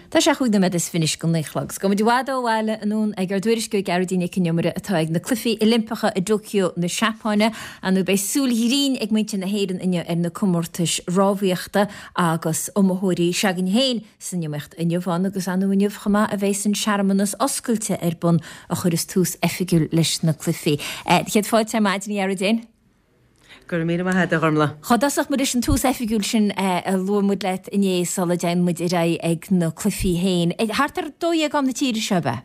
Tá sé chúig nóiméad is fiche go 9 a chlog. 'S gabhfaidh muid i bhfad ó bhaile anonn ag ár dtuairisceoir Gearóidín Nic Con Iomaire atá ag na Cluichí Oilimpeacha i dTóiceo na Seapáine. Ar ndóigh beidh súil ghrinn ag muintir na hÉireann inniu ar na comórtais rámhaíochta agus iomaitheoirí s'againn féin san iomaíocht inniu ann agus ar ndóigh inniu chomh maith a bheas an searmanas oscailte ar bun a chuireas tús oifigiúil leis na cluichí. Céad fáilte ar maidin a Ghearóidín. Go raibh míle maith agat, a Ghormlaith. Cá dtosódh muid leis an tús oifigiúil sin a luaigh muid leat inné sula dtéann muid ar aghaidh ag na cluichí féin? Thart ar 12 am na tíre seo, ab ea?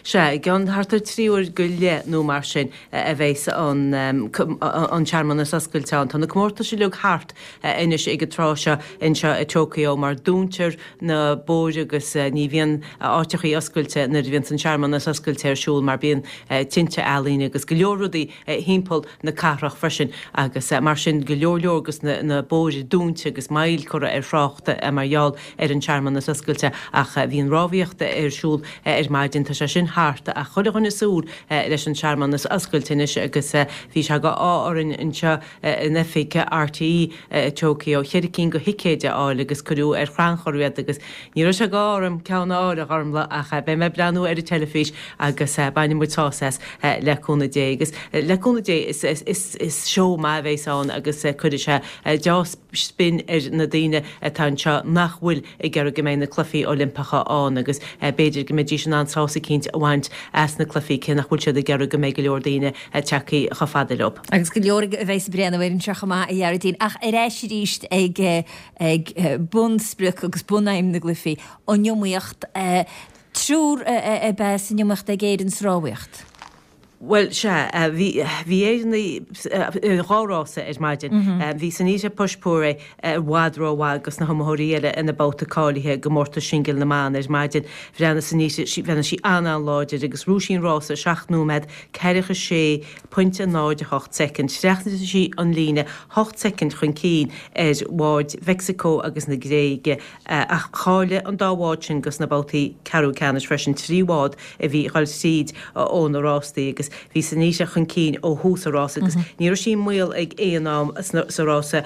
Sea, i gceann thart ar 3 uair go leith nó mar sin a bheas an an searmanas oscailte ann. Tá na comórtais uilig thart anois ag an tráth seo anseo i Tokyo mar dúntar na bóithre agus ní bhíonn áiteachaí oscailte nuair a bhíonns an searmanas oscailte ar siúl mar bíonn tinte ealaíne agus go leor rudaí thimpeall na cathrach freisin agus mar sin go leor leor dos na bóithre dúnta agus moill curtha ar thrácht mar gheall ar an searmanas oscailte ach bhí an rámhaíocht ar siúl ar maidin, tá sé sin thart ach chuile dhuine ag súil leis an searmanas oscailte anois agus bhí sé go ádh orainn anseo in oifig RTÉ i Tokyo cheithre cinn go thicéid a fháil agus cuireadh ar chrannchur iad agus Ní raibh sé go ádh orm ceann a fháil, a Ghormlaith, ach beidh mé ag breathnú ar an teilifís agus bainfidh muid sásamh as, le cúnamh Dé. Agus le cúnamh Dé, is seó maith a bheas ann agus cuirfidh sé deá-spin ar na daoine atá anseo nach bhfuil ag iarraidh go mbeidh na Cluichí Oilimpeacha ann agus b'fhéidir go mbeidís in ann sásamh eicínt a bhaint as na cluichí cé nach bhfuil siad ag iarraidh go mbeidh go leor daoine tagtha chomh fada leo. Agus go leor a bheas ag breathnú air anseo chomh maith, a Ghearóidín. Ach ar ais arís ag ag bunsprioc agus bunaidhm na gcluichí, an iomaíocht. Triúr ab ea san iomaíocht ag Éirinn sa rámhaíocht. Bhuel, sea, bhí, bhí Éireannaigh i dhá rása ar maidin. Bhí Sanita Puspure i bhfad rómhaith dos na hiomaitheoirí eile ina babhta cáilithe i gcomórtas singil na mban ar maidin. Bhreathnaigh Sanita, bhreathnaigh sí an-an-láidir agus ghnóthaigh sí an rása i 7 nóiméad 46 pointe 0 8 soicind. Thrasnaigh sí an líne 8 soicind chun cinn ar bháid Mheicsiceo agus na Gréige ach cháiligh an dá bhád sin dos na babhtaí ceathrú ceannais freisin, 3 bhád a bhí ag dul tríd ó na rástaí agus bhí Sanita chun cinn ó thús an rása agus ní raibh sí i mbaol ag aon am sa rása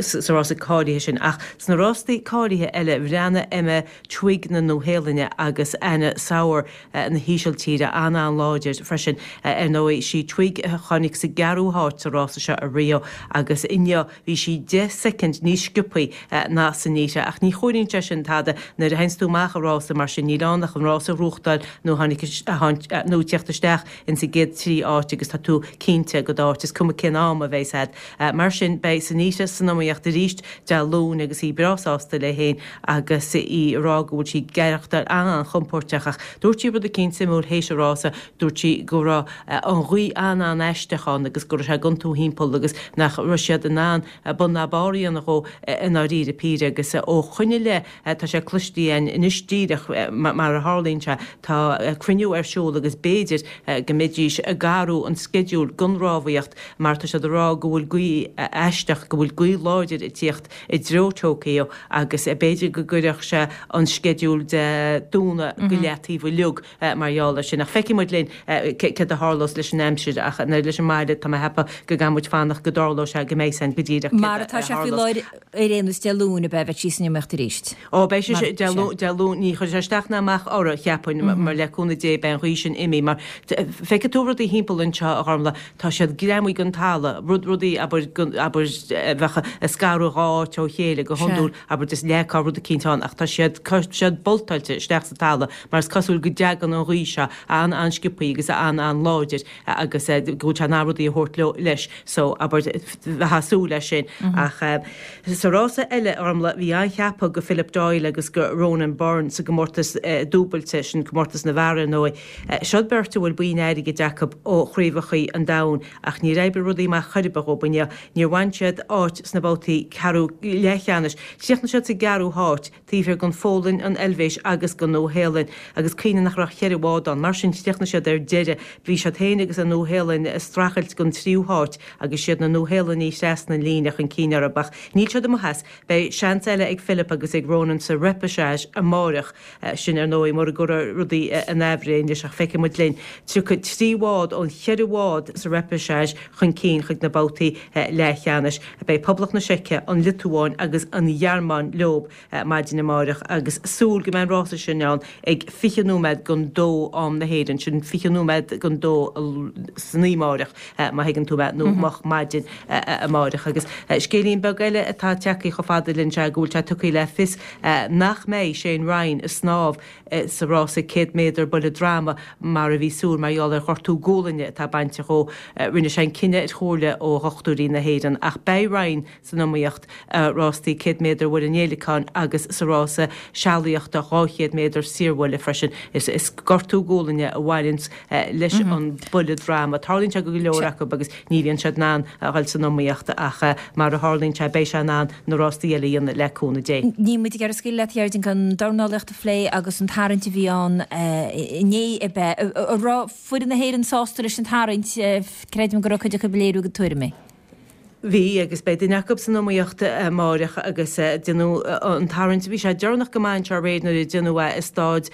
sa rása cáilithe sin ach sna rástaí cáilithe eile bhreathnaigh Emma Twigg na Nua-Shéalainne agus Anna Sauer na hÍsiltíre an-an-láidir freisin. Ar ndóigh, sí Twigg a tháinig sa gceathrú háit sa rása seo i Rio agus inniu bhí sí 10 soicind níos sciobthaí ná Sanita. Ach ní chomhaireann sé sin tada nuair a théanns tú amach i rása mar sin, níl ann ach an rása a ghnóthachtáil nó nó tíocht isteach ins an gcéad 3 áit agus tá tú cinnte go d'áit, is cuma cén am a bheas a'd. Mar sin beidh Sanita san iomaíocht arís Dé Luain agus í breá sásta léi féin agus í ag rá go bhfuil sí ag aireachtáil an-an-chompóirteach ach dúirt sí rud eicínt suimiúil théis an rása, dúirt sí go raibh an ghaoth an-an-aisteach ann agus go raibh sé ag iontú thimpeall agus nach raibh siad in ann bun ná barr a dhéanamh dhó i ndáiríre píre agus ó shoin i leith tá sé cloiste againn anois díreach mar a tharlaíonn sé tá cruinniú ar siúl agus b'fhéidir go mbeidís ag athrú an sceideal don rámhaíocht mar tá siad ag rá go bhfuil gaoth aisteach, go bhfuil gaoth láidir ag tíocht i dtreo Tokyo agus b'fhéidir go gcuirfeadh sé an sceideal de dúnadh go leataobh uilig mar gheall air sin. Ach feicfidh muid linn céard a tharlós leis an aimsir ach nó leis an mbaile tá mé ag ceapadh go gcaithfidh muid fanacht go dtarlóidh sé go mbeidh san go díreach céard a tharlós. Mar atá sé faoi láthair ar aon nós Dé Luain ab ea bheidh sí san iomaíocht arís? Ó beidh sí Dé Luain ní chuirfidh sé isteach ná amach orthu cheapfainn mar le cúnamh Dé beidh an ghaoth sin imithe mar feicfidh tú rudaí thimpeall anseo a Ghormlaith Tá siad greamaithe den talamh, rud, rudaí, abair, abair, a bheadh ag scaradh dhá áit ó chéile go hiondúil, abair, just leagfá rud eicínt ann, ach tá siad, tá siad boltáilte isteach sa talamh mar is cosúil go dtagann an ghaoth seo an-an-sciobthaí agus an-an-láidir agus go bhfuil sé in ann rudaí a thabhairt leo, leis, so, abair, bheifeá ag súil leis sin. Ach sa rása eile, a Ghormlaith, bhí an-cheapadh go Philip Doyle agus go Ronan Byrne sa gcomórtas dúbailte, sin comórtas na bhfear, ar ndóigh. Siod beirt a bhfuil boinn airgid acu ó chraobhachaí an domhain ach níor oibrigh rudaí amach chor ar bith dhóibh inniu. Níor bhain siad áit sna babhtaí ceathrú leathcheannais. Chríochnaigh siad sa gceathrú háit, taobh thiar den Pholainn, an Eilvéis agus den Nua-Shéalainn agus cuimhnigh nach raibh ach cheithre bhád ann. Mar sin chríochnaigh siad ar deireadh. Bhí siad féin agus an Nua-Shéalainn ag streachailt don tríú háit agus siad na Nua-Shéalannaigh a thrasnaigh an líne chun cinn orthu ach níl siad amuigh as. Beidh seans eile ag Philip agus ag Ronan sa repechage amárach. Sin, ar ndóigh, mura gcuirfear rudaí in aimhréidh anois ach feicfidh muid linn. 33. 3 bhád ón cheithre bhád sa repêchage chun cinn chuig na babhtaí leathcheannais. Beidh Poblacht na Seice, an Liotuáin agus an Ghearmáin leo maidin amáireach agus súil go mbeidh an rása sin ann ag 20 nóiméad don dó am na hÉireann, sin 20 nóiméad don dó san oíche amáireach má thuigeann tú mé, nó moch maidin amáireach. Agus scéilín beag eile atá tagtha chomh fada linn sea go bhfuil sé tugtha le fios nach mbeidh Shane Ryan ag snámh sa rása 100 méadar buille droma mar a bhí súil mar gheall ar ghortú gualainne atá bainte dhó. Rinne sé an cinneadh ar chomhairle ó dhochtúirí na hÉireann ach beidh Ryan san iomaíocht i rástaí 100 méadar buille an fhéileacáin agus sa rása sealaíochta 200 méadar saorbhuille freisin. Is gortú gualainne a bhaineanns leis an buille droma. Tarlaíonn sé go go leor acu agus ní bhíonn siad in ann a dhul san iomaíocht ach mar a tharlaíonn sé beidh sé in ann na rástaí eile a dhéanamh le cúnamh Dé. Níl muid ag iarraidh scaoileadh leat a Ghearóidín gan an dornálaíocht a phlé agus an tarraingt a bhí ann inné ab ea? An raibh foireann na hÉireann sásta leis an tarraingt? Creidim go raibh cuid acu ag léiriú a gcuid tuairimí. Bhí, agus beidh duine acu san iomaíocht amáireach agus déanadh an tarraingt, bhí sé deireanach go maith anseo aréir nuair a déanadh é i stáid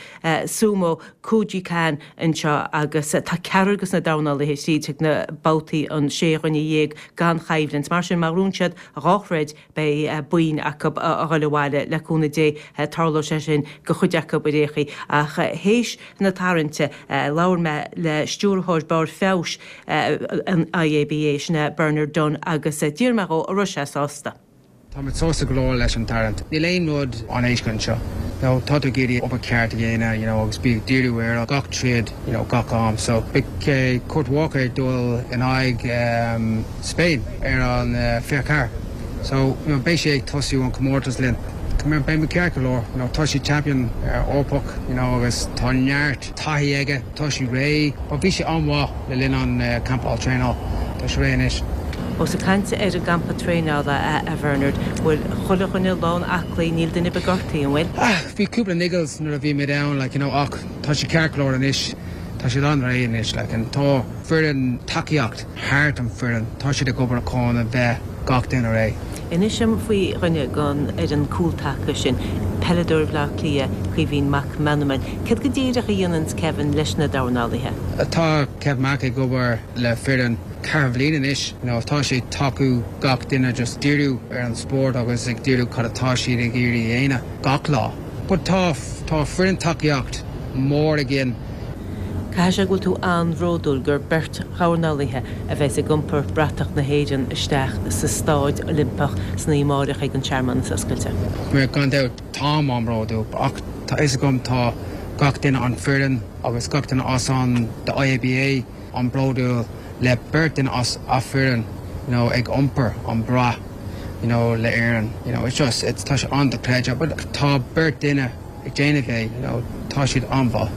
Sumo Kokugikan anseo agus tá ceathrar de na dornálaithe tríd chuig na babhtaí an sé dhuine dhéag gan choimhlint. Mar sin má ghnóthaíonn siad dhá throid beidh boinn acu a dhul abhaile, le cúnamh Dé tarlóidh sé sin do chuid acu ar aon chaoi. Ach théis na tarraingte labhair mé le Stiúrthóir Barr Feabhais an IABA, sin é Bernard Dunne, agus d'iarr mé dhó an raibh sé sásta. Táimid sásta go leor leis an tarraingt. Níl aon rud an-éasca anseo. You know, tá tú ag iarraidh obair ceart a dhéanamh, you know, agus bí ag díriú ar gach troid, you know, gach am. So, beidh Kurt Walker ag dul in aghaidh Spain ar an 24. So, you know, beidh sé ag tosú an comórtas linn. Beidh muid ceart go leor. You know, tá sé champion Eorpach, you know, agus tá neart. taithí aige, tá sé réidh. But bhí sé an-mhaith le linn an campáil traenáil. Tá sé réidh anois. Ós ag caint ar an gcampa traenála, a Bhernard, bhfuil chuile dhuine lán aclaí, níl duine ar bith gortaithe, an bhfuil? Ah, bhí cúpla niggles nuair a bhí muid ann, like, you know, ach tá sé ceart go leor anois. Tá siad an-réidh anois, like, and tá foireann tacaíocht thart an foireann, tá siad ag obair chun a bheith gach duine réidh. Inis dom faoi dhuine den fhoireann cúltaca sin, peileadóir Bhaile Átha Cliath, Caoimhín Mac Meanman. Céard go díreach a dhéananns Kevin leis na dornálaithe? Tá Kev Mac ag obair le foireann ceithre bhliain anois. You know, tá sé ag tacú gach duine just díriú ar an spórt agus ag díriú cad atá siad ag iarraidh a dhéanamh gach lá. But tá tá foireann tacaíocht mór againn. Caithfidh sé go bhfuil tú an-bhródúil gur beirt dhornálaithe a bheas ag iompar bratach na hÉireann isteach sa Stáid Oilimpeach san oíche amárach ag an searmanas oscailte. Bhuel, gan dabht, táim an-bhródúil ach tá fhios agam tá gach duine an foireann agus gach duine as an the IABA an-bhródúil le beirt duine as a foireann you know ag iompar an brat you know le Éirinn you know it's just it's tá sé an-dochreidte but tá beirt duine ag déanamh é, you know, tá siad an-mhaith.